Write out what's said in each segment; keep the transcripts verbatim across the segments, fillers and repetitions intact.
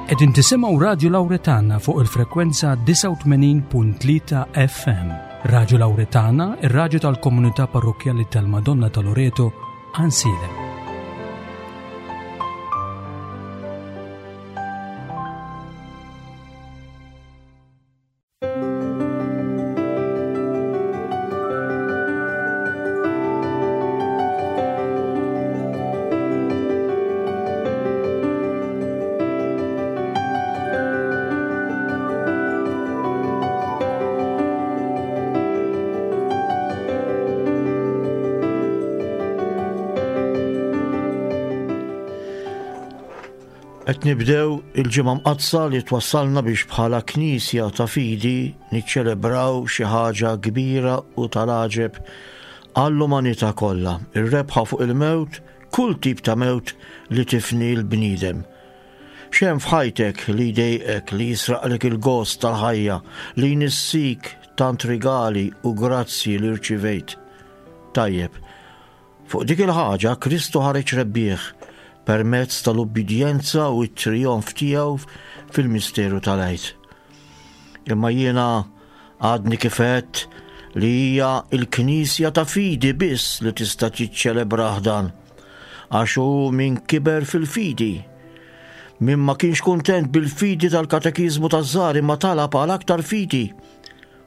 Qegħdin tisimgħu Radju Lawretana fuq il-frekwenza disgħa u tmenin punt tlieta F M. Radju Lawretana, ir-radju tal-komunità parrokkjali tal-Madonna ta' Loreto, Għajnsielem. Qed nibdew il-ġimgħa mqaddsa li twassalna biex bħala Knisja ta' fidi niċċelebraw xi ħaġa kbira u tal-għaġeb għall-umanità kollha, ir-rebħa fuq il-mewt, kull tip ta' mewt li tifni l-bniedem. X'hemm f'ħajtek li jdejqek, li jisraqlek il-gost tal-ħajja, li jnissik tant rigali u grazzji li rċivejt? Tajjeb, fuq dik il-ħaġa Kristu ħareġ rebbieħ permezz tal-ubbidjenza u t-trijonf tiegħu fil-misteru tal-Għid. Imma jiena għadni kif għedt li hija l-Knisja ta' fidi biss li tista' tiċċelebrah dan, għax hu min kiber fil-fidi, min ma kienx kuntent bil-fidi tal-katekiżmu taż-żgħar imma talab għal aktar fidi.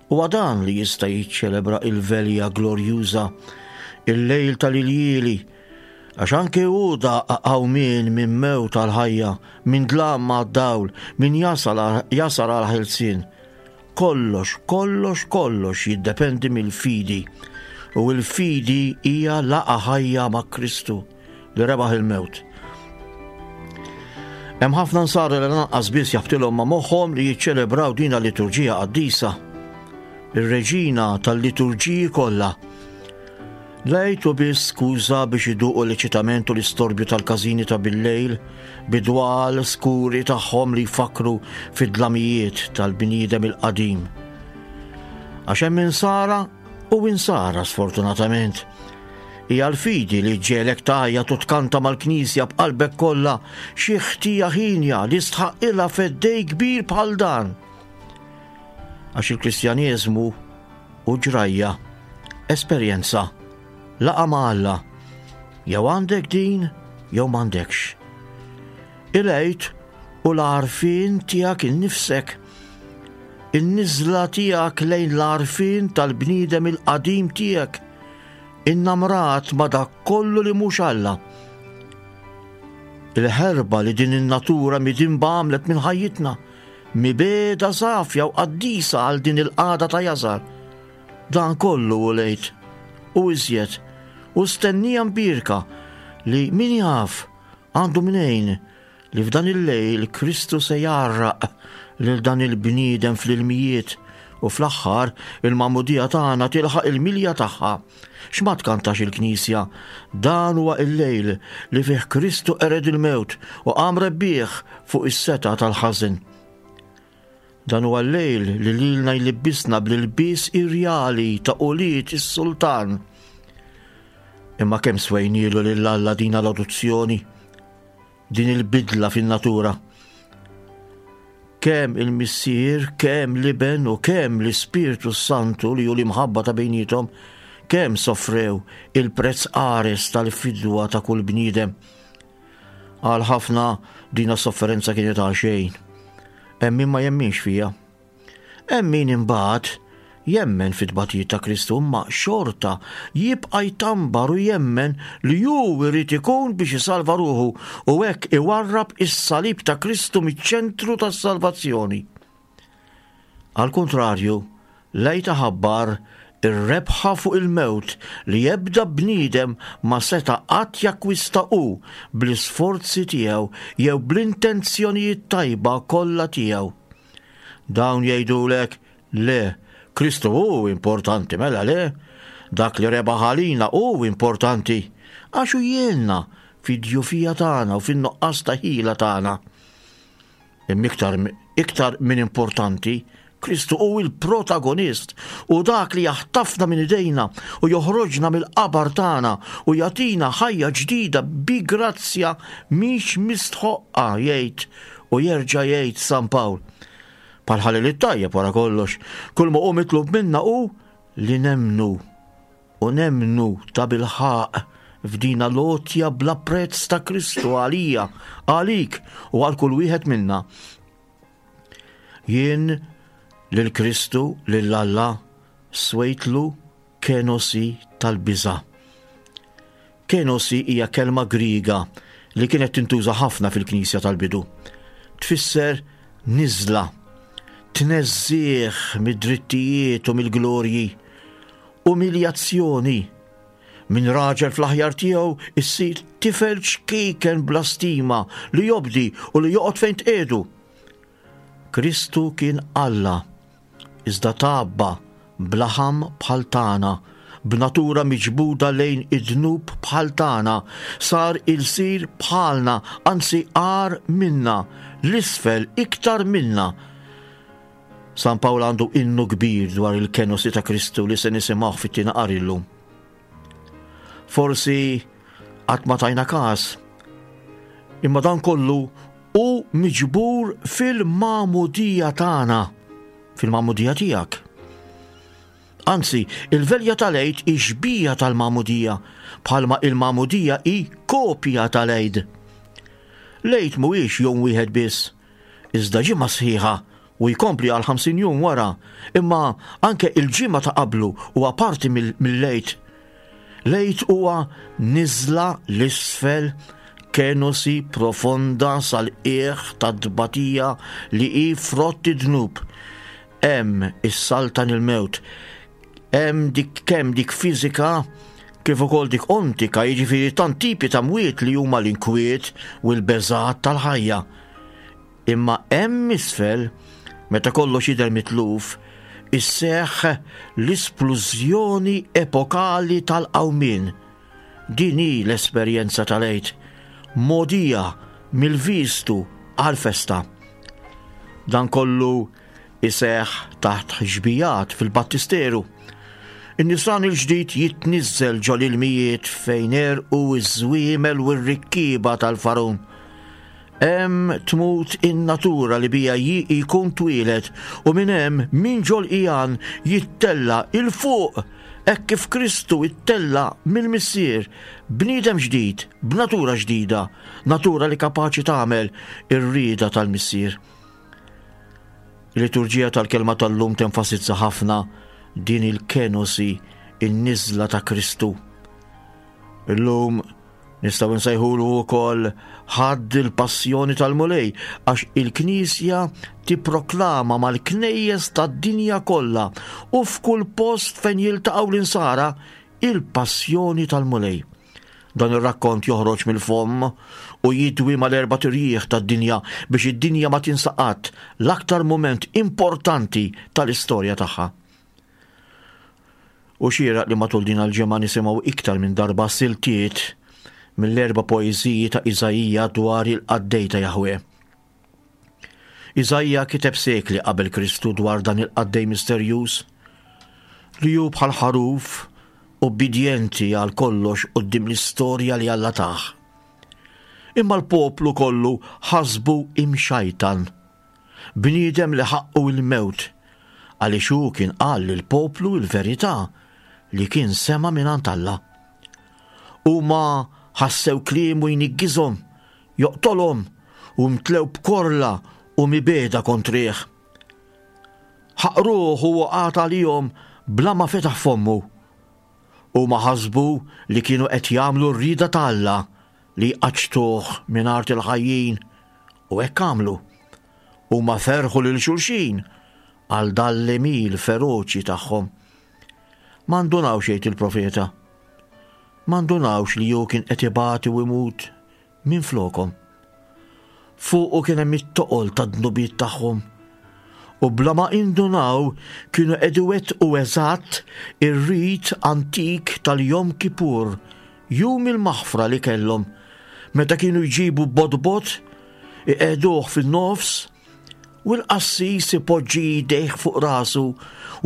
Huwa dan li jista' jiċċelebra il-velja glorjuża, il-lejl tal-iljieli, għax anke hu daq qawmien minn mewt tal-ħajja, minn dlam għad-dawl, minn jasal għal-, jasal għal ħelsien. Kollox, kollox, kollox jiddependi mill-fidi. U l-fidi hija laqgħa ħajja ma' Kristu li rebaħ il-mewt. Hemm ħafna nsara li lanqas biss jaħbtilhom ma' moħħhom li jiċċelebraw din il-liturġija qaddisa, ir-reġina tal-liturġiji kollha. Lejtu biss skuża biex iduqu l-eċitament u l-istorbju tal-każini ta' bil-lejl, bidwal skuri tagħhom li jfakru fid-dlamijiet tal-bniedem il-qadim. Għax hemm insara u insara sfortunatament. Hija l-fidi li ġġiegħlek tgħajjat u tkanta mal-Knisja b'qalbek kollha xi ħtija ħinja li stħaqilha feddej kbir bħal dan. Għax il-Kristjaneżmu hu ġrajja, esperjenza, laqa ma' Alla. Jew għandek din, jew m'għandekx. Il-Għid u l-għarfien tiegħek innifsek, in-niżla tiegħek lejn l-għarfien tal-bniedem il-qadim tiegħek, innamrat ma' dak kollu li mhux Alla. Il-ħerba li din in-natura midinba għamlet minn ħajjitna, mibeda safja u qaddisa għal din il-qagħda ta' jasar. Dan kollu u lejt u iżjed u stennija mbierka li min jaf għandu mnejn li f'dan il-lejl Kristu se jgħarraq lil dan il-bniedem fl-ilmijiet u fl-aħħar il-magħmudija tagħna tilħaq il-milja tagħha. X'ma tkantax il-Knisja? Dan huwa il-lejl li fih Kristu qered il-mewt u qam rebbieħ fuq is-setgħa tal-ħażen. Dan huwa l-lejl li lilna jlibbisna bl-ilbies irjali ta' ulied is-sultan. Imma kemm swejnielu lil Alla din l-adozzjoni, din il-bidla fin-natura. Kemm il-Missier, kemm l-Iben u kemm l-Ispirtu Santu li hu l-imħabba ta' bejniethom, kemm soffrew il-prezz qares tal-fidwa ta' kull bniedem. Għal ħafna dina sofferenza kienet għal xejn. Hemm min ma jemminx fija. Hemm min imbagħad jemmen fit-tbatijiet ta' Kristu, imma xorta jibqa' jtambar u jemmen li hu jrid ikun biex isalva ruħu u hekk iwarrab is-salib ta' Kristu miċ-ċentru tas-salvazzjoni. Għal kontrarju, lejta ħabbar ir-rebħa fuq il-mewt li ebda bniedem ma seta' qatt jakkwista hu bl-isforzi tiegħu jew bl-intenzjonijiet tajba kollha tiegħu. Dawn jgħidulek le, Kristu hu importanti, mela le, dak li rebaħ għalina hu importanti, għax hu jgħinna fid-djufija tagħna u fin-nuqqas ta' ħila tagħna. Imma iktar, iktar minn importanti, Kristu hu il-protagonist u dak li jaħtafna minn idejna u joħroġna mill-qabar tagħna u jagħtina ħajja ġdida bi grazzja mhix mistħoqqa, jgħid u jerġa' jgħid San Pawl. Bħal ħalliel it-tajjeb wara kollox, kull ma hu mitlub minna hu li nemmnu u nemmnu tabilħaqq f'dina l-għotja bla prezz ta' Kristu għalija, għalik u għal kull wieħed minna. Jien lil Kristu lil Alla swejtlu kenosi tal-biża'. Kenosi hija kelma Griega li kienet tintuża ħafna fil-Knisja tal-bidu. Tfisser niżla, tneżżih mid-drittijiet u mill-glorji, umiljazzjoni. Minn raġel fl-aħjar tiegħu issir tifel ċkejken bla stima li jobdi u li joqgħod fejn tqiegħdu. Kristu kien Alla, iżda tgħabba b'laħam bħal tagħna, b'natura miġbuda lejn id-dnub bħal tagħna, sar ilsir bħalna, anzi agħar minna, l-isfel iktar minna. San Pawl għandu innu kbir dwar il-kenosi ta' Kristu li se nisimgħu fit-tieni qari llum. Forsi qatt ma tajna każ, imma dan kollu hu miġbur fil-magħmudija tagħna, fil-magħmudija tiegħek. Anzi, il-velja tal-Għid hi xbieha tal-magħmudija, bħalma il-magħmudija hi kopja tal-Għid. L-Għid mhuwiex jum wieħed biss, iżda ġimgħa sħiħa u jkompli għal ħamsin jum wara, imma anke il-ġimgħa ta' qablu huwa parti mill-Għid. L-Għid huwa niżla l-isfel, kenosi profonda sal-qiegħ tad-tbatija li hi frott id-dnub. Hemm is-saltan il-mewt, hemm dik kemm dik fiżika kif ukoll dik ontika, jiġifieri tant tipi ta' mwiet li huma l-inkwiet u l-beżgħat tal-ħajja. Imma hemm isfel, meta kollox jidher mitluf, isseħħ l-isplużjoni epokali tal-qawmien. Din hi l-esperjenza tal-Għid, mogħdija mill-vistu għal-festa. Dan kollu iseħħ taħt xbijat fil-battisteru. In-nisran il-ġdid jitniżżel ġol ilmijiet fejn erqu iż-żwiemel u r-rikkieba tal-Farun. Hemm tmut in-natura li bija jkun twieled u minn hemm minn ġol ijan jittella 'il fuq hekk kif Kristu ittella mill-Missier, bniedem ġdid, b'natura ġdida, natura li kapaċi tagħmel ir-rieda tal-Missier. Il-liturġija tal-kelma tal-lum tenfasizza ħafna din il-kenosi, in-niżla ta' Kristu. Illum nistgħu nsejħulu wkoll Ħadd il-Passjoni tal-Mulej, għax il-Knisja tipproklama mal-knejjes tad-dinja kollha u f'kull post fejn jiltaqgħu l-insara il-Passjoni tal-Mulej. Dan ir-rakkont joħroġ mill-fomm u jidwi mal-erba' tirjieħ tad-dinja biex id-dinja ma tinsa qatt l-aktar mument importanti tal-istorja tagħha. U xieraq li matul din il-ġimgħa nisimgħu iktar minn darba siltiet mill-erba' poeżiji ta' Iżaija dwar il-qaddej ta' Jahwe. Iżaija kiteb sekli qabel Kristu dwar dan il-qaddej misterjuż li hu bħal ħaruf obbedjenti għal kollox quddiem l-istorja li Alla tah. Imma l-poplu kollu ħasbu imxajtan, bniedem li ħaqqu il-mewt, għaliex hu kien qal lill-poplu l-verità li kien sema' mingħand Alla. Huma ħassew kliemu jniggiżhom, joqtolhom u mtlew b'korla u mibeda kontrih. Ħaqruh u waqgħat għalihom bla ma fetaħ fommu. Huma ħasbu li kienu qed jagħmlu r-rieda ta' Alla li jqaċċtuh minn art il-ħajjin, u hekk għamlu. Huma ferħu lil xulxin għal dan l-għemil feroċi tagħhom. Ma ndunawx, jgħid il-profeta, ma ndunawx li hu kien qed ibati u imut minn flokom. Fuqu kien hemm it-toqol tad-dnubiet tagħhom, u bla ma indunaw kienu qed iwettqu eżatt ir-rit antik tal-Jom Kippur, jum il-maħfra li kellhom, meta kienu jġibu bodbot, iqegħduh fin-nofs U l-qassis ipoġġi jdejh fuq rasu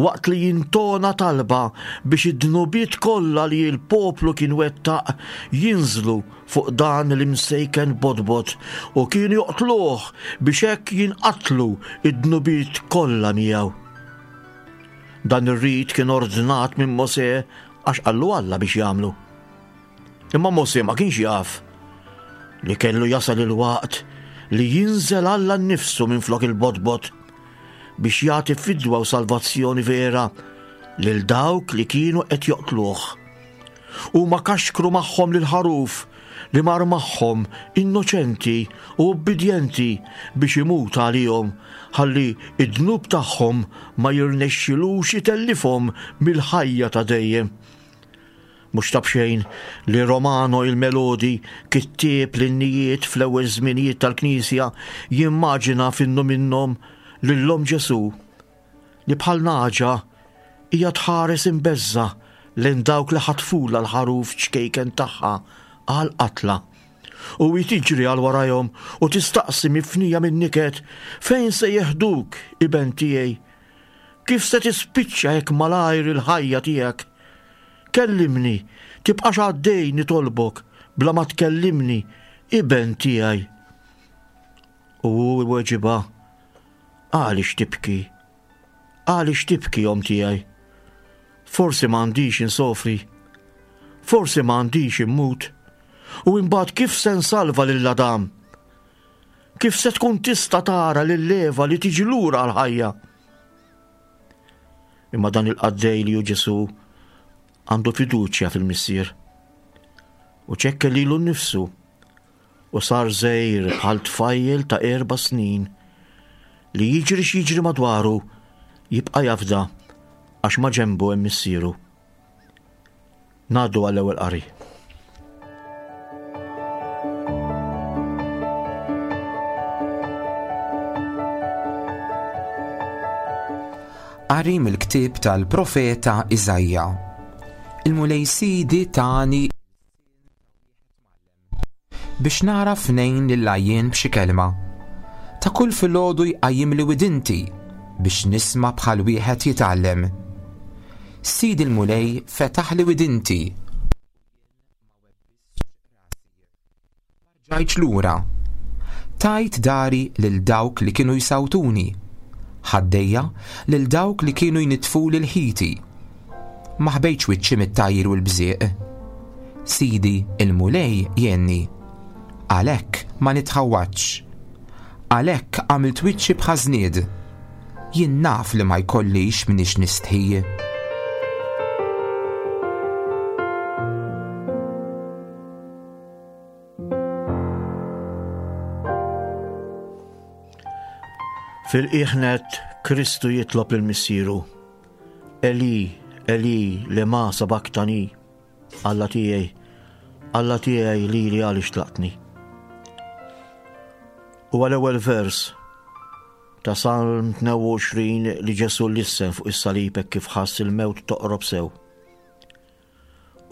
waqt li jintona talba biex id-dnubiet kollha li l-poplu kien wettaq jinżlu fuq dan l-imsejken bodbod u kienu joqtluh biex hekk jinqatlu id-dnubiet kollha miegħu. Dan ir-rit kien ordnat minn Mosè għax qallu Alla biex jagħmlu. Imma Mosè ma kienx jaf li kellu jasal il-waqt li jinżel Alla nnifsu minn flok il-bodbod biex jagħti fidwa u salvazzjoni vera lil dawk li kienu qed joqtluh. Huma kaxkru magħhom lil ħaruf li mar magħhom innoċenti u ubbidjenti biex imut għalihom ħalli id-dnub tagħhom ma jirnexxilux itellifhom mill-ħajja ta' dejjem. Mhux ta' b'xejn li Romano il-Melodi, kittieb l-innijiet fl-ewwel żminijiet tal-Knisja, jimmaġina f'innu minnhom lil omm Ġesù li bħal nagħġa hija tħares imbeżża' lejn dawk li ħatfulha l-ħaruf ċkejken tagħha għal qatla. U hi tiġri għal warajhom u tistaqsi mifnija minn niket, fejn se jeħduk, iben tiegħi? Kif se tispiċċa hekk malajr il-ħajja tiegħek? Kellimni, tibqax għaddej nitolbok bla ma tkellimni, iben tiegħi. U hu iweġibha, għaliex tibki? Għaliex tibki, omm tiegħi? Forsi ma għandix insofri, forsi ma għandix immut, u imbagħad kif se nsalva lil Adam? Kif se tkun tista' tara lil Eva li tiġi lura għall-ħajja? Imma dan il-qaddej li hu Ġesù għandu fiduċja fil-Missier u ċekke lilu nnifsu u sar żgħir bħal tfajjel ta' erba' snin li jiġri x'jiġri madwaru jibqa' jafda għax ma ġenbu hemm missieru. Ngħaddu għall-ewwel qari. Qari mill-ktieb tal-profeta Iżaija. Il-Mulej Sidi tani biex nagħraf ngħin lil għajjien b'xi kelma. Ta' kull filgħodu jqajjimli widinti biex nisma' bħal wieħed jitgħallem. Sidi l-Mulej fetaħli widinti. Ġajċ lura. Tajt dari lil dawk li kienu jsawtuni. Ħaddejja lil dawk li kienu jnitfu lil ħiti. Ma ħbejtx wiċċi mit-tajr u l-bżieq. Sidi il-Mulej jgħinni. Għalhekk ma nitħawwadx. Għalhekk għamilt wiċċi bħażnied. Jien naf li ma jkollix minix nistħi. Fil-qiegħ nett Kristu jitlob lil Missieru, Eli, Eli, lema sabaktani, Alla tiegħi, Alla tiegħi lili għaliex tlaqtni. Huwa l-ewwel vers ta' Salm tnejn u għoxrin li Ġesù lissen fuq is-salib hekk kif ħass il-mewt toqrob sew.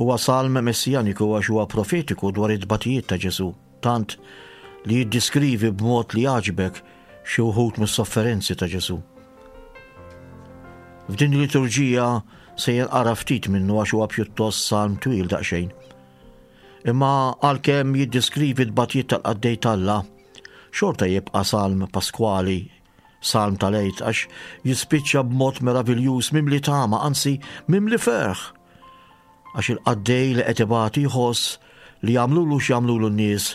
Huwa salm messjaniku għax huwa profetiku dwar it-tbatijiet ta' Ġesù, tant li jiddiskrivi b'mod li jagħġbek xi wħud mis-sofferenzi ta' Ġesù. F'din il-liturġija se jinqara ftit minnu għax huwa pjuttost salm twil daqsxejn. Imma għalkemm jiddiskrivi t-tbatijiet tal-qaddej t'Alla, xorta jibqa' salm paskwali, salm tal-Għid, għax jispiċċa b'mod meraviljuż mimli tama, anzi mimli ferħ. Għax il-qaddej li qed ibati jħoss li jagħmlulu x'jagħmlulu n-nies,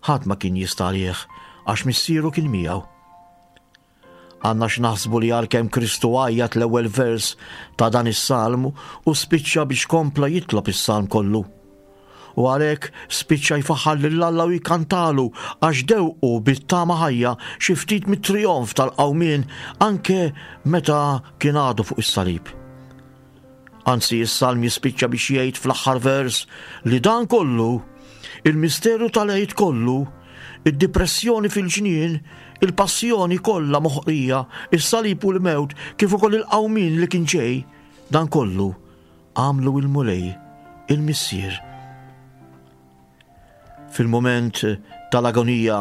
ħadd ma kien jista' għalih għax missieru kien miegħu. Għandna x'naħsbu li għalkemm Kristu għajjat l-ewwel vers ta' dan is-salm u spiċċa biex kompla jitlob is-salm kollu. U għalhekk spiċċa jfaħħar lil Alla u jkantalu għax dewqu bit-tama ħajja xi ftit mit-trijonf tal-qawmien anke meta kien għadu fuq is-salib. Anzi, is-salm jispiċċa biex jgħid fl-aħħar vers li dan kollu, il-misteru tal-Għid kollu, id-depressjoni fil-ġnien, il-passjoni kollha moħqrija, is-salib u l-mewt, kif ukoll il-qawmien li kien ġej, dan kollu għamlu il-Mulej, il-Missier. Fil-moment tal-agonija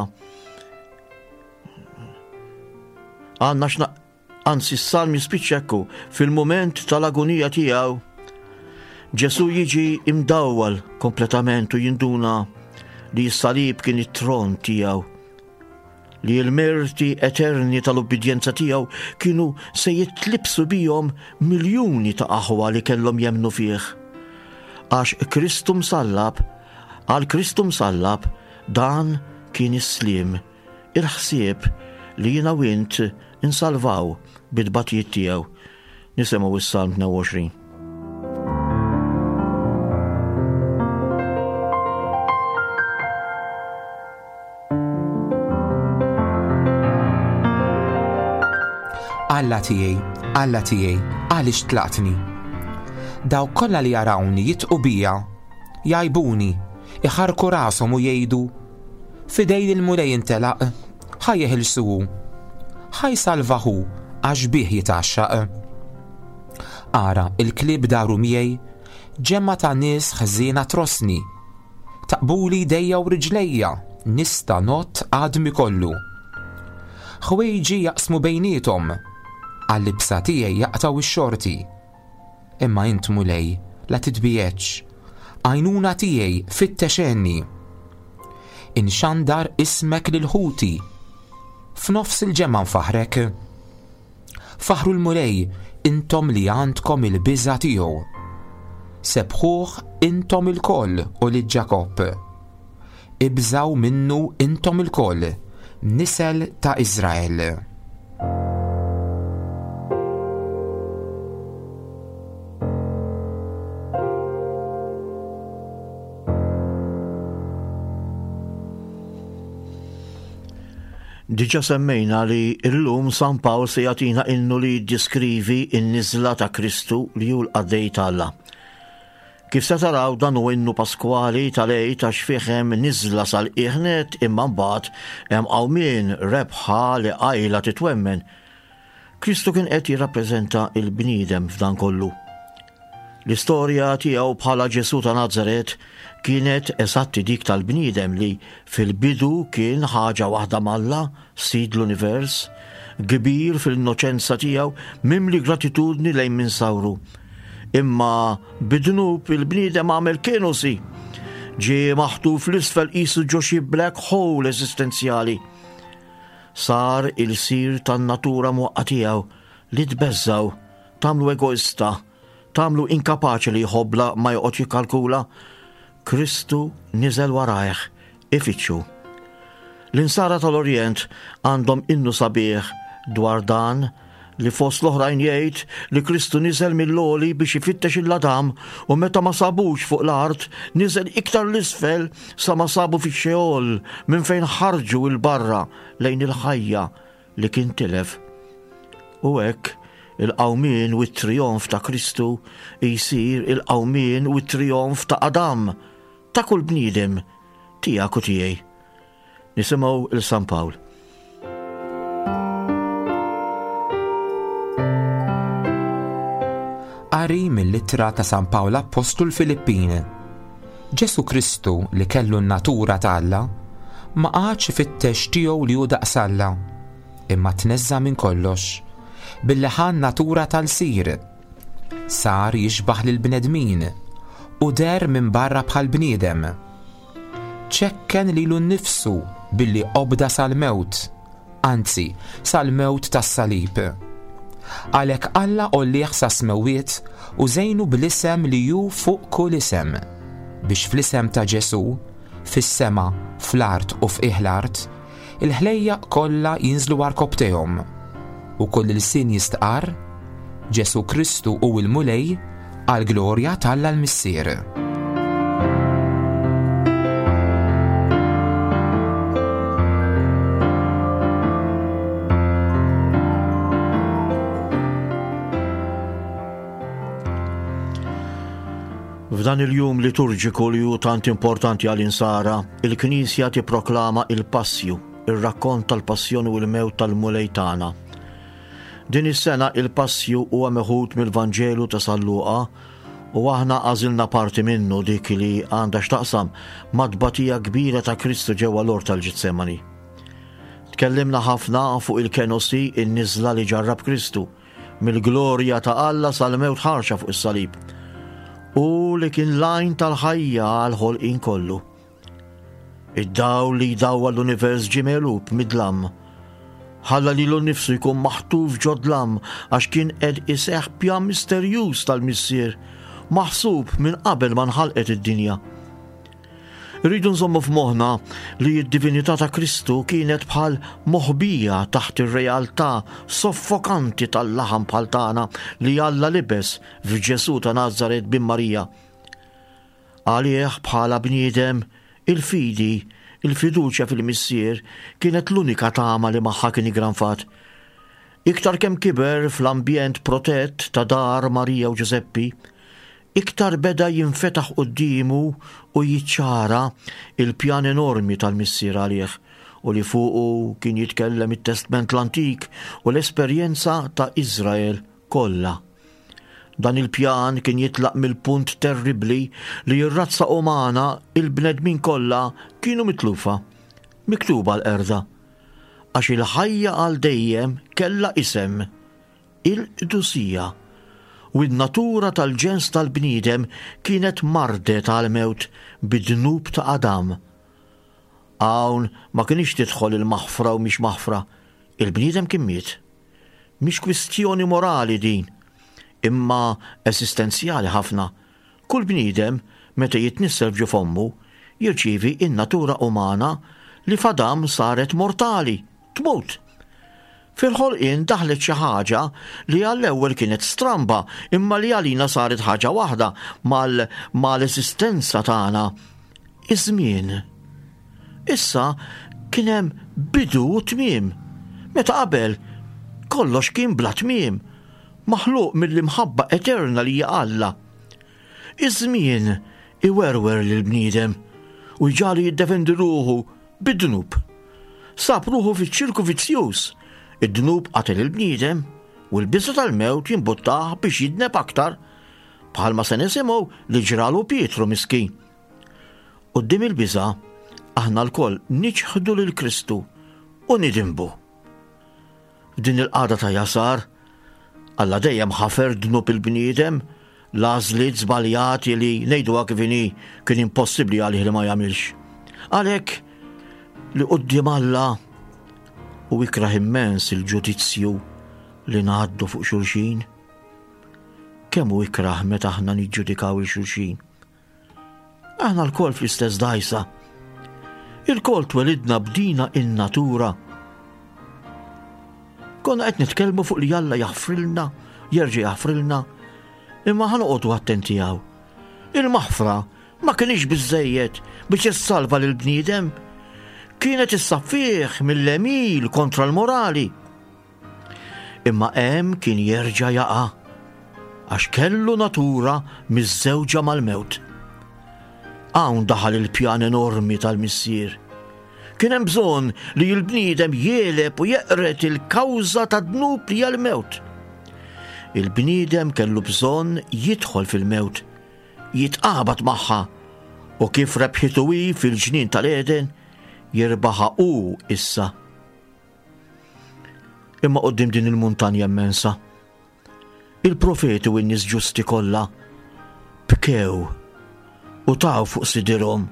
Għandna x'na anzi s-salm jispiċċa hekk fil-mument tal-agonija tiegħu. Ġesu jiġi imdawwal kompletament u jinduna li s-salib kien it-tron tiegħu, li l-merti eterni tal-ubbidjenza tiegħu kienu se jitlibsu bihom miljuni ta' aħwa li kellhom jemmnu fih. Għax Kristu msallab, għal Kristu msallab, dan kien is-sliem, il-ħsieb li jiena u int insalvaw bit-tbatijiet tiegħu. Nisimgħu is-Salm tnejn u għoxrin. Alla tiegħi, Alla tiegħi, għaliex tlaqtni? Dawk kollha li jarawni jidħqu bija, jgħajbuni, iħarku rashom u jgħidu: "F'idejn il-Mulej intelaq, ħa jeħilsu hu. Ħa jsalvah hu għax bih jitgħaxxaq." Ara, il-klieb daru miegħi, ġemma ta' nies ħżiena trossni. Taqqbuli jdejja u riġlejja, nista' ngħodd għadmi kollu. Ħwejġi jaqsmu bejniethom, għal-libsa tiegħi jaqtgħu ix-xorti. Imma int, Mulej, la titbiegħedx, għajnuna tiegħi, fittex għenni. Inxandar ismek lil ħuti, f'nofs il-ġemgħa nfaħrek. Faħru l-Mulej intom li għandkom il-biża tiegħu. Sebħuh intom ilkoll ulied Ġakobb. Ibżgħu minnu intom ilkoll, nisel ta' Izrael. Diġa semmejna li illum San Pawl se jagħtina innu li jiddeskrivi n-niżla ta' Kristu li hu l-qaddej t'Alla. Kif se taraw, dan hu innu paskwali tal-Għid għax fih hemm niżla sal-qiegħ nett, imma mbagħad hemm qawmien, rebħa li qajla titwemmen. Kristu kien qed jirrappreżenta il-bniedem f'dan kollu. L-istorja tiegħu bħala Ġesu ta' Nazaret kienet eżatti dik tal-bniedem li fil-bidu kien ħaġa waħda m'Alla, sid l-univers, kbir fil-innoċenza tiegħu, mimli gratitudni lejn min sawru. Imma bid-dnub il-bniedem għamel kenosi. Ġie maħtuf 'l isfel qisu ġo xi black hole eżistenzjali. Sar ilsir tan-natura mwaqqa tiegħu li tbeżżgħu, tagħmlu egoista, tagħmlu inkapaċi li jħobb bla ma joqgħod jikkalkula. Kristu niżel warajh, ifittxu. L-insara tal-Orjent għandhom innu sabiħ dwar dan li fost l-oħrajn jgħid li Kristu niżel mill-għoli biex ifittex il-Adam u meta ma sabux fuq l-art niżel iktar 'l isfel sa ma sabu fi Xeol minn fejn ħarġu 'l barra lejn il-ħajja li kien tilef. U hekk il-qawmien u t-trionf ta' Kristu jsir il-qawmien u t-trionf ta' Adam, ta' kull bniedem, tiegħek u tiegħi. Nisimgħu 'l San Pawl. Qari mill-ittra ta' San Pawl Appostlu lill-Filippin. Ġesu Kristu li kellu n-natura ta' Alla ma qagħadx ifittex tiegħu li hu daqs Alla, imma tneżża minn kollox billi ħa n-natura tal-ilsir. Sar jixbaħ lil bnedmin u deher minn barra bħal bniedem. Ċekken lilu nnifsu billi obda sal-mewt, anzi sal-mewt tas-salib. Għalhekk Alla għollieh sas-smewwiet u żejnu bl-isem li hu fuq kull isem, biex fl-isem ta' Ġesu, fis-sema, fl-art u f'qiegħ l-art, il-ħlejjaq kollha jinżlu għarkopptejhom u kull ilsien jistqar Ġesu Kristu hu l-Mulej għall-glorja t'Alla l-Missier. F'dan il-jum liturġiku li hu tant importanti għall-insara, il-Knisja tipproklama il-Passju, ir-rakkont tal-passjoni u l-mewt tal-Mulej tagħna. Din is-sena il-Passju huwa meħud mill-Vanġelu ta' San Luqa u aħna għażilna parti minnu, dik li għandha x'taqsam mat-tbatija kbira ta' Kristu ġewwa l-ort tal-Ġetsemani. Tkellimna ħafna fuq il-kenosi, in-niżla li ġarrab Kristu, mill-glorja ta' Alla sal-mewt ħarxa fuq is-salib, u li kien l-għajn tal-ħajja għall-ħolqien kollu. Id-dawl li jdawwal l-univers ġie megħlub mid-dlam. Ħalla lilu nnifsu jkun maħtuf ġo dlam għax kien qed iseħħ pjan misterjuż tal-Missier, maħsub minn qabel ma nħalqet id-dinja. Irridu nżommu f'moħħna li d-divinità ta' Kristu kienet bħal moħbija taħt ir-realtà soffokanti tal-laħam bħal tagħna li Alla libes f'Ġesù ta' Nazaret bin Marija. Għalih bħala bniedem, il-fidi, il-fiduċja fil-Missier kienet l-unika tama li magħha kien iggranfat. Iktar kemm kiber fl-ambjent protett ta' dar Marija u Ġużeppi, iktar beda jinfetaħ quddiemu u jiċċara il-pjan enormi tal-Missier għalih u li fuqu kien jitkellem it-Testment l-Antik u l-esperjenza ta' Iżrael kollha. Dan il-pjan kien jitlaq mill-punt terribbli li r-razza umana, il-bnedmin kollha, kienu mitlufa, miktuba l-qerda, għax il-ħajja għal dejjem kellha isem, il-qdusija, u n-natura tal-ġens tal-bniedem kienet mardet għal-mewt bid-dnub ta' Adam. Hawn ma kienx tidħol il-maħfra u mhix maħfra, il-bniedem kien miet. Mhix kwistjoni morali din, imma esistenzjali ħafna. Kull bniedem, meta jitnissel f'ġo fommu, jirċievi in-natura umana li f'Adam saret mortali, tmut. Fil-ħolqien daħlet xi ħaġa li għall-ewwel kienet stramba, imma li għalina saret ħaġa waħda mal-, mal-esistenza tagħna. Iż-żmien. Issa kien hemm bidu u tmiem. Meta qabel kollox kien bla tmiem, maħluq mill-imħabba eterna li hija Alla. Iż-żmien iwerwer lill-bniedem u jġagħlu jiddefendi ruħu bid-dnub. Sab ruħu fiċ-ċirku vizzjuż. Id-dnub qatel il-bniedem u l-biża' tal-mewt jimbuttah biex jidneb aktar, bħalma se nisimgħu li ġralu Pietru miskin. Quddiem il-biża' aħna lkoll niċħdu lil Kristu u nidinbu. F'din il-qagħda ta' jasar, Alla dejjem ħafer dnub il-bniedem, l-għażliet żbaljati li ngħiduha kif inhi kien impossibbli għalih li ma jagħmilx. Għalhekk li quddiem Alla u ikrah immens il-ġudizzju li ngħaddu fuq xulxin. Kemm hu ikrah meta aħna niġġudikaw il xulxin. Aħna lkoll fl-istess dajsa. Ilkoll twelidna b'dina in-natura. Konna qed nitkellmu fuq li Alla jaħfrilna, jerġa' jaħfrilna, imma ħa noqogħdu attenti hawn. Il-maħfra ma kienx biżejjed biex issalva lil bniedem, kienet issaffih mill-għemil kontra l-morali. Imma hemm kien jerġa' jaqa' għax kellu natura miżżewġa mal-mewt. Hawn daħal il-pjan enormi tal-Missier. Kien hemm bżonn li l-bniedem jeleb u jeqret il-kawża ta' dnub li hija l-mewt. Il-bniedem kellu bżonn jidħol fil-mewt, jitqabad magħha, u kif rebħitu hi fil-ġnien tal-Eden, jirbaħha hu issa. Imma quddiem din il-muntanja immensa, il-profeti u n-nies ġusti kollha bkew u taw fuq sidirhom,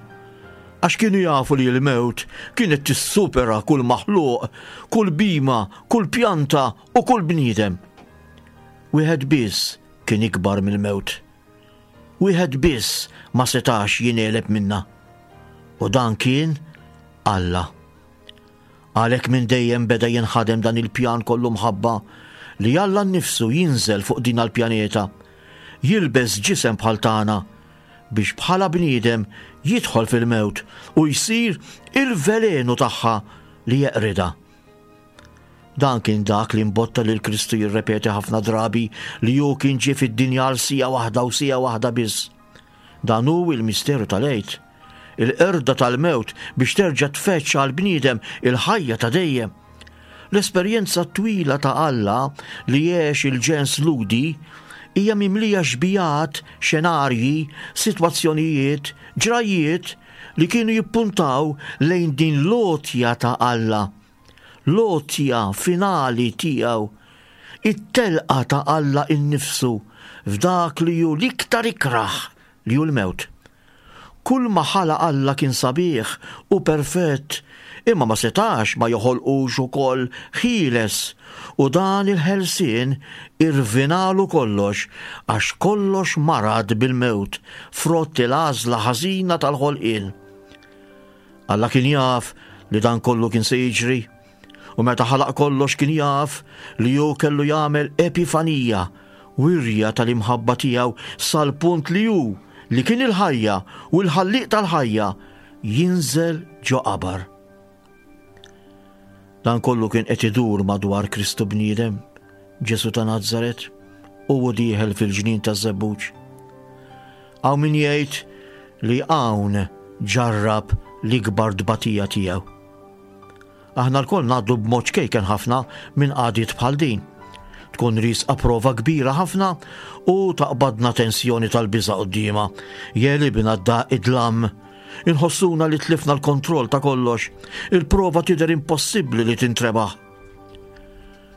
għax kienu jafu li l-mewt kienet tissupera kull maħluq, kull bima, kull pjanta u kull bniedem. Wieħed biss kien ikbar mill-mewt. Wieħed biss ma setax jingħeleb minna. U dan kien Alla. Għalhekk minn dejjem beda jinħadem dan il-pjan kollu mħabba li Alla nnifsu jinżel fuq din il-pjaneta, jilbes ġisem bħal tagħna biex bħala bniedem jidħol fil-mewt u jsir il-velenu tagħha li jeqrida. Dan kien dak li mbotta lil Kristu jirrepeti ħafna drabi li hu kien ġie fid-dinja għal sija waħda u sija waħda biss. Dan hu il-misteru tal-Għid, il-qerda tal-mewt biex terġa' tfetx għal bniedem il-ħajja ta' dejjem. L-esperjenza twila ta' Alla li għex il-ġens Lhudi hija mimlija xbijat, xenarji, sitwazzjonijiet, ġrajiet li kienu jippuntaw lejn din l-għotja ta' Alla. l-għotja finali tiegħu, it-telqa ta' Alla innifsu f'dak li hu l-iktar ikrah li hu l-mewt. Kull ma ħalaq Alla kien sabiħ u perfett, imma ma setax ma joħolqux ukoll ħieles, u dan il-ħelsien irvinalu kollox, għax kollox marad bil-mewt, frott il-għażla ħażina tal-ħolqien. Alla kien jaf li dan kollu kien se jiġri, u meta ħalaq kollox kien jaf li hu kellu jagħmel epifanija, wirja tal-imħabba tiegħu sal-punt li hu, li kien il-ħajja u l-ħallieq tal-ħajja, jinżel ġo qabar. Dan kollu kien qed idur madwar Kristu bniedem, Ġesu ta' Nazaret, u hu dieħel fil-ġnien taż-żebbuġ. Hawn min jgħid li hawn ġarrab l-ikbar tbatija tiegħu. Aħna lkoll ngħaddu b'mod ċkejken ħafna minn qagħdiet bħal din. Tkun risqa prova kbira ħafna u taqbadna tensjoni tal-biża' quddiemha. Jegħlibna da id-dlam. Inħossuna li tlifna l-kontroll ta' kollox. Il-prova tidher impossibbli li tintrebaħ.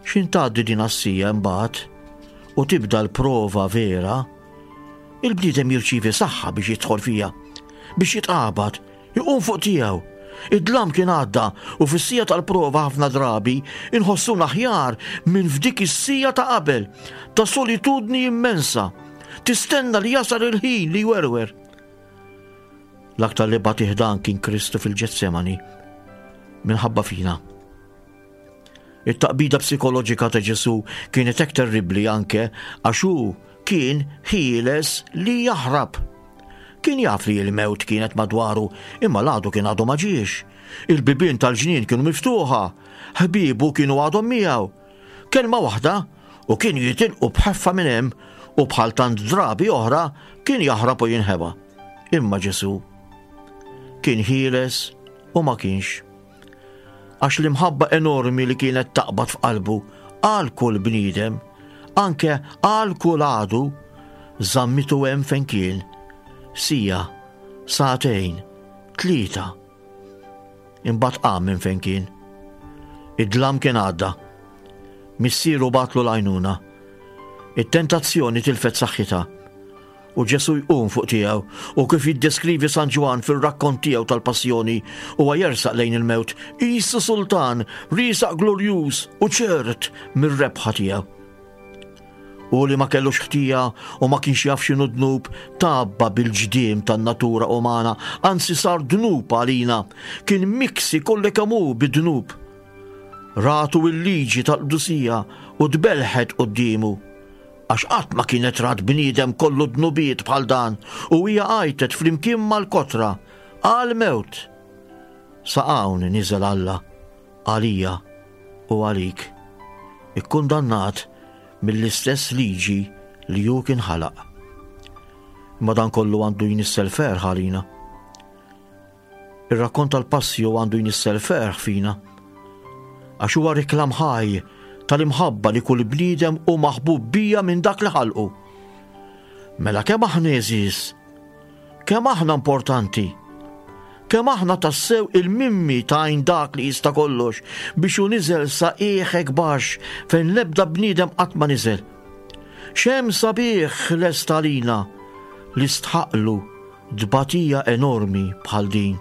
X'in tgħaddi din għas-sija imbagħad u tibda l-prova vera, il-bniedem jirċievi saħħa biex jidħol fija, biex jitqabad, iqum fuq tiegħu. Id-dlam kien għadda u fis-sija tal-prova ħafna drabi inħossuna aħjar minn f'dik is-sija ta' qabel, ta' solitudni immensa. Tistenna li jasal il-ħin li jwerwer. L-aktar li batih dan kien Kristu fil-Ġetsemani, minħabba fina. It-taqbida psikoloġika ta' Ġesu kienet hekk terribbli anke għax hu kien ħieles li jaħrab. Kien jaf li l-mewt kienet madwaru, imma l-għadu kien għadu ma ġiex. Il-bibien tal-ġnien kienu miftuħa, ħbiebu kienu għadhom miegħu. Kelma waħda u kienu jitilqu b'ħeffa minn hemm u bħal tant drabi oħra kien jaħrab u jinħeba. Imma Ġesu kien ħieles u ma kienx. Għax l-imħabba enormi li kienet taqbad f'qalbu għal kull bniedem, anke għal kull għadu, żammitu hemm fejn kien. Sija, sagħtejn, tlieta. Imbagħad qam minn fejn kien. Id-dlam kien għadda. Missieru bagħatlu l-għajnuna. It-tentazzjoni tilfet saħħitha. U Ġesu jqum fuq tiegħu u kif jiddeskrivi San Ġwann fir-rakkont tiegħu tal-passjoni, huwa jersaq lejn il-mewt, qisu sultan, riesaq glorjuż u ċert mir-rebħa tiegħu. U li ma kellux ħtija u ma kienx jaf x'inhu dnub, tabba bil-ġdiem tan-natura umana, anzi sar dnub għalina, kien miksi kollu kemm hu bid-dnub. Ratu il-liġi tal-qdusija u tbelħet quddiemu, għax qatt ma kienet rat bniedem kollu dnubiet bħal dan, u hija għajtet flimkien mal-kotra għal-mewt. Sa hawn niżel Alla għalija u għalik, ikkundannat mill-istess liġi li hu kien ħalaq. Imma dan kollu għandu jnissel ferħ għalina. Ir-rakkont tal-passju għandu jnissel ferħ fina, għax huwa reklam ħaj tal-imħabba li kull bniedem hu maħbub bija minn dak li ħalqu. Mela kemm aħna għeżież, kemm aħna importanti, kemm aħna tassew il-mimmi ta' għajn dak li jista' kollox biex hu niżel sa qiegħek baxx fejn l-ebda bniedem qatt ma niżel. X'hemm sabiħ lest għalina li stħaqlu tbatija enormi bħal din.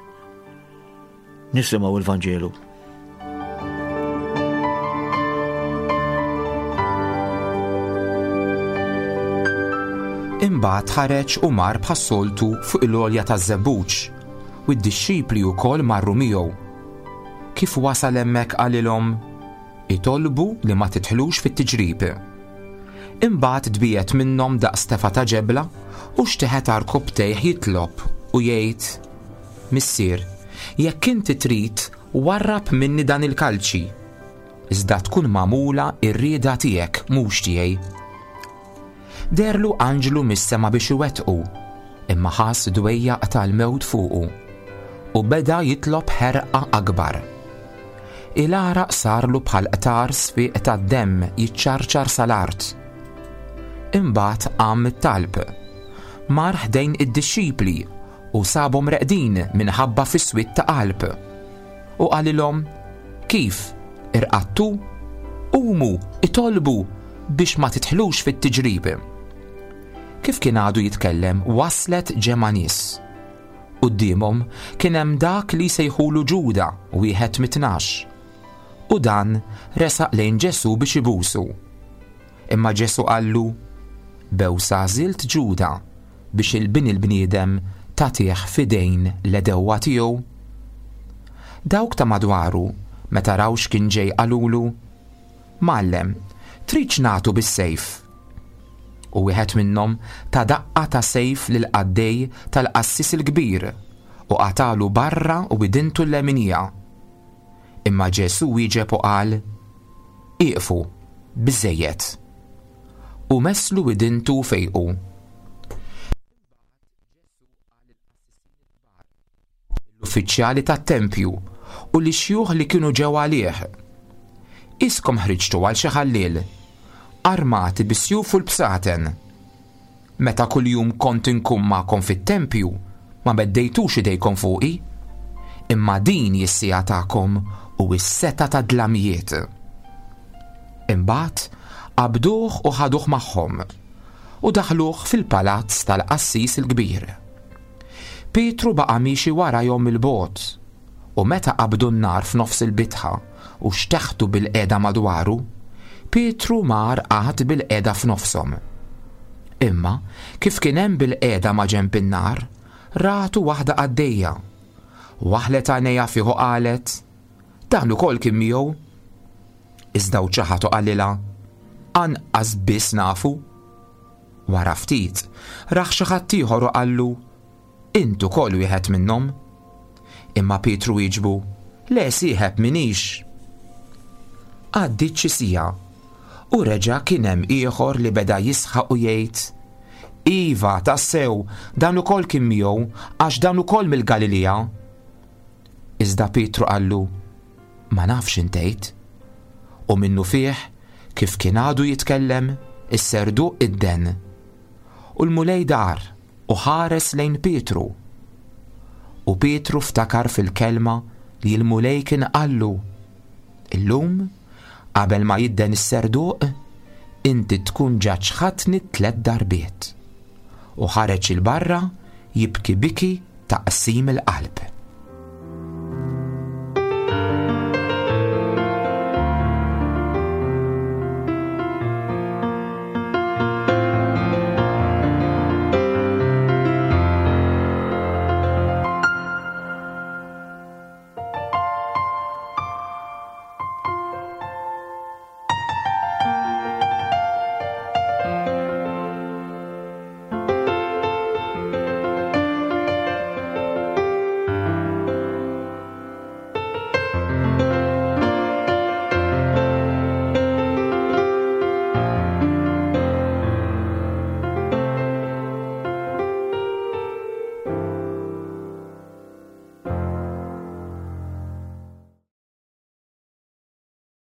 Nisimgħu il-Vanġelu. Imbagħad ħareġ u mar bħas-soltu fuq il-għolja taż-żebbuġ, u d-dixxipli wkoll marru miegħu. Kif wasal hemmhekk qalilhom, itolbu li ma tidħlux fit-tiġrib. Imbagħad tbiegħed minnhom daqs tefa' ta' ġebla u xteħet għarkupptejh jitlob u jgħid, Missier, jekk inti trid, warrab minni dan il-kalċi, iżda tkun magħmula r-rieda tiegħek mhux tiegħi. Derlu anġlu mis-sema biex iwettqu, imma ħass dwejjaq tal-mewt fuqu u beda jitlob ħerqa akbar. Il-għaraq sarlu bħal qtar sfiq tad-demm jiċċarċar sal-art. Imbagħad qam mit-talb, mar ħdejn id-dixxipli u sabhom reqdin minħabba fis-swied ta' qalb. U qalilhom, kif, Irqadtu? Qumu, itolbu biex ma tidħlux fit-tiġrib. Kif kien għadu jitkellem, waslet ġemgħa nies. Quddiemhom kien hemm dak li sejħulu Ġuda, wieħed mit-tnax. U dan resaq lejn Ġesù biex ibusu. Imma Ġesù qallu, Bewsa għażilt Ġuda biex 'il Bin il-bniedem tagħtih f'idejn l-għedewwa tiegħu. Dawk ta' madwaru, meta raw x'kien ġej qalulu, Mgħallem, tridx nagħtu bis-sejf? U wieħed minnhom ta daqqa ta' sejf lill-qaddej tal-qassis il-kbir u qatalu barra u widintu l-leminija. Imma Ġesù wieġeb u qal, Ieqfu, biżżejjed. U messlu widintu fejqu. L-uffiċjali tat-tempju u l-xjuħ li kienu ġew għalih. Iskom ħriġtu għal xi ħalliel, armati bis-sjuf u l-bsaten. Meta kuljum kont inkun magħkom fit-tempju, ma meddejtux idejkom fuqi, imma din hi s-siegħa tagħkom u s-setgħa tad-dlamijiet. Imbagħad qabduh u ħaduh magħhom u daħluh fil-palazz tal-qassis il-kbir. Pietru baqa' miexi warajhom mill-bogħod, u meta qabdu n-nar f'nofs il-bitħa u xteħtu bil-qiegħda madwaru, Pietru mar qagħad bil-qiegħda f'nofshom. Imma kif kien hemm bil-qiegħda ma' ġenb in-nar, ratu waħda għaddejja. Waħlet għajnejha fih u qalet, Dan ukoll kien miegħu. Iżda hu ċaħad u qalilha, Anqas biss nafu. Wara ftit, rah xi ħadd ieħor u qallu, Int ukoll wieħed minnhom. Imma Pietru wieġbu, Le sieħeb minix. Għaddiet xi siegħa, u reġa' kien hemm ieħor li beda jisħaq u jgħid, Iva, tassew, dan ukoll kien miegħu, għax dan ukoll mill-Galilija. Iżda Pietru qallu, Ma nafx intejt. U minnu fih, kif kien għadu jitkellem, is-serduq idden. U l-Mulej dar u ħares lejn Pietru. U Pietru ftakar fil-kelma li l-Mulej kien qallu, Illum, qabel ma jidden is-serduq, inti tkun ġa ċħadtni tliet darbiet. U ħareġ 'il barra jibki biki ta' qsim il-qalb.